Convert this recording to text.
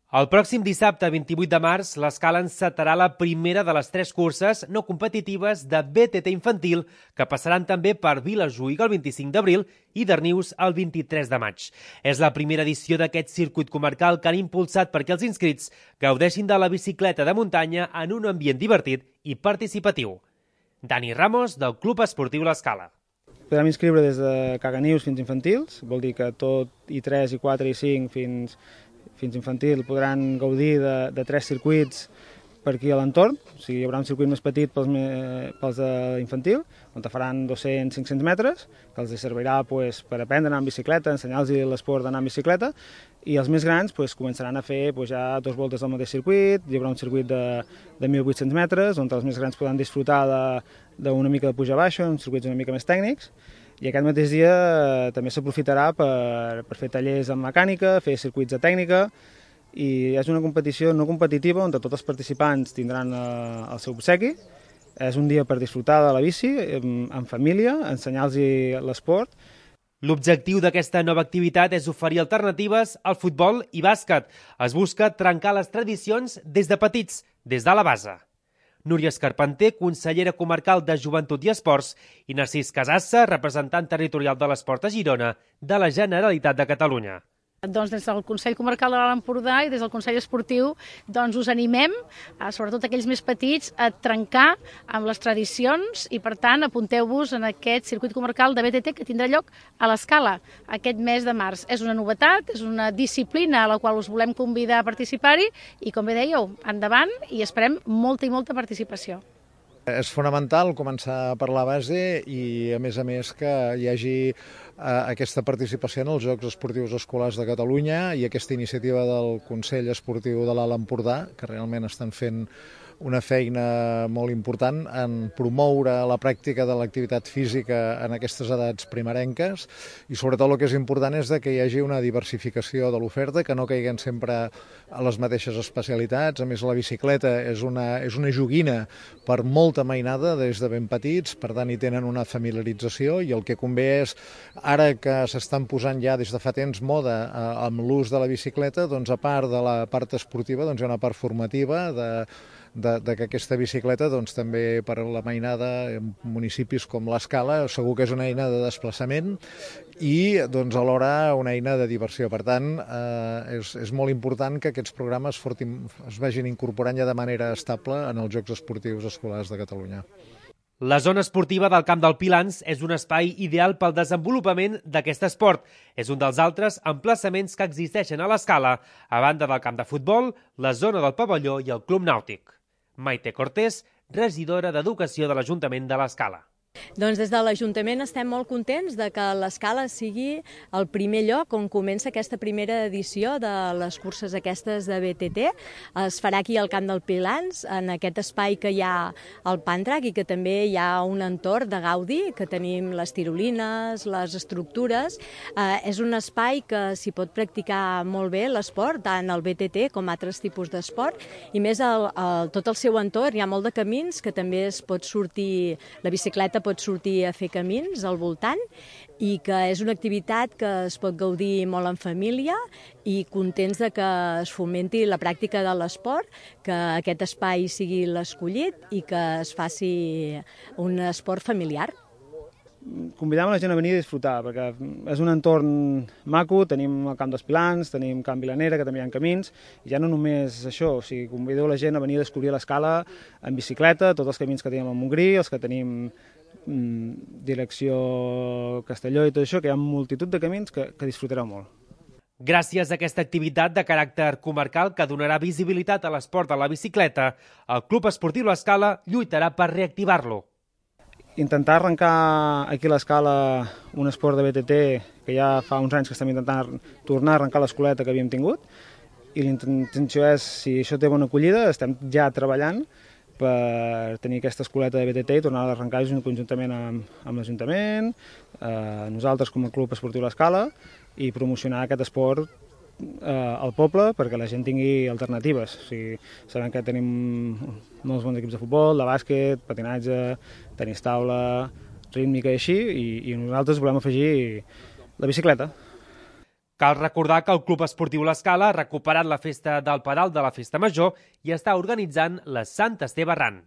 El pròxim dissabte, 28 de març, l'Escala encetarà la primera de les 3 curses no competitives de BTT infantil que passaran també per Vilajuïga el 25 d'abril i Darnius el 23 de maig. És la primera edició d'aquest circuit comarcal que han impulsat perquè els inscrits gaudeixin de la bicicleta de muntanya en un ambient divertit i participatiu. Dani Ramos, del Club Esportiu L'Escala. Podem inscriure des de caganius fins infantils, vol dir que tot i 3, i 4, i 5 fins infantil podran gaudir de 3 circuits per aquí a l'entorn. O sigui, hi haurà un circuit més petit pels d'infantil, on faran 200-500 metres, que els servirà per aprendre a anar en bicicleta, ensenyar-los l'esport d'anar en bicicleta, i els més grans començaran a fer ja 2 voltes del mateix circuit. Hi haurà un circuit de 1.800 metres, on els més grans podran disfrutar d'una mica de puja-baixa, uns circuits una mica més tècnics, i aquest mateix dia també s'aprofitarà per fer tallers en mecànica, fer circuits de tècnica, i és una competició no competitiva on tots els participants tindran el seu obsequi. És un dia per disfrutar de la bici, en família, ensenyar-los l'esport. L'objectiu d'aquesta nova activitat és oferir alternatives al futbol i bàsquet. Es busca trencar les tradicions des de petits, des de la base. Núria Escarpenter, consellera comarcal de Joventut i Esports, i Narcís Casassa, representant territorial de l'esport a Girona, de la Generalitat de Catalunya. Doncs des del Consell Comarcal de l'Alt Empordà i des del Consell Esportiu us animem, sobretot aquells més petits, a trencar amb les tradicions i, per tant, apunteu-vos en aquest circuit comarcal de BTT que tindrà lloc a l'Escala aquest mes de març. És una novetat, és una disciplina a la qual us volem convidar a participar-hi i, com bé dèieu, endavant i esperem molta i molta participació. És fonamental començar per la base i, a més, que hi hagi aquesta participació en els Jocs Esportius Escolars de Catalunya i aquesta iniciativa del Consell Esportiu de l'Alt Empordà, que realment estan fent una feina molt important en promoure la pràctica de l'activitat física en aquestes edats primerenques, i sobretot el que és important és que hi hagi una diversificació de l'oferta, que no caiguem sempre a les mateixes especialitats. A més, la bicicleta és una joguina per molta mainada des de ben petits, per tant hi tenen una familiarització, i el que convé és, ara que s'estan posant ja des de fa temps moda amb l'ús de la bicicleta, doncs a part de la part esportiva hi ha una part formativa de que aquesta bicicleta també per la mainada en municipis com l'Escala segur que és una eina de desplaçament i alhora una eina de diversió. Per tant, és molt important que aquests programes es vagin incorporant ja de manera estable en els Jocs Esportius Escolars de Catalunya. La zona esportiva del Camp del Pilans és un espai ideal pel desenvolupament d'aquest esport. És un dels altres emplaçaments que existeixen a l'Escala, a banda del camp de futbol, la zona del pavelló i el club nàutic. Maite Cortés, regidora d'Educació de l'Ajuntament de l'Escala. Doncs des de l'Ajuntament estem molt contents de que l'Escala sigui el primer lloc on comença aquesta primera edició de les curses aquestes de BTT. Es farà aquí al Camp del Pilans, en aquest espai que hi ha al Pantrac i que també hi ha un entorn de gaudi, que tenim les tirolines, les estructures. És un espai que s'hi pot practicar molt bé l'esport, tant el BTT com altres tipus d'esport, i més tot el seu entorn hi ha molt de camins que també es pot sortir, la bicicleta pot sortir a fer camins al voltant, i que és una activitat que es pot gaudir molt en família i contents de que es fomenti la pràctica de l'esport, que aquest espai sigui l'escollit i que es faci un esport familiar. Convidem la gent a venir a disfrutar, perquè és un entorn maco, tenim el Camp dels Pilans, tenim Camp Vilanera, que també hi ha camins, i ja no només això, o sigui, convideu la gent a venir a descobrir l'Escala en bicicleta, tots els camins que tenim a Montgrí, els que tenim direcció Castelló i tot això, que hi ha multitud de camins que disfrutareu molt. Gràcies a aquesta activitat de caràcter comarcal que donarà visibilitat a l'esport de la bicicleta, el Club Esportiu L'Escala lluitarà per reactivar-lo. Intentar arrencar aquí a l'Escala un esport de BTT que ja fa uns anys que estem intentant tornar a arrencar l'escoleta que havíem tingut, i l'intenció és, si això té bona acollida, estem ja treballant per tenir aquesta escoleta de BTT i tornar a arrencar conjuntament amb l'Ajuntament, nosaltres com a Club Esportiu L'Escala, i promocionar aquest esport al poble perquè la gent tingui alternatives. O sigui, sabem que tenim molts bons equips de futbol, de bàsquet, patinatge, tenis taula, rítmica i així, i nosaltres volem afegir la bicicleta. Cal recordar que el Club Esportiu L'Escala ha recuperat la festa del Pedal de la Festa Major i està organitzant la Sant Esteve Run.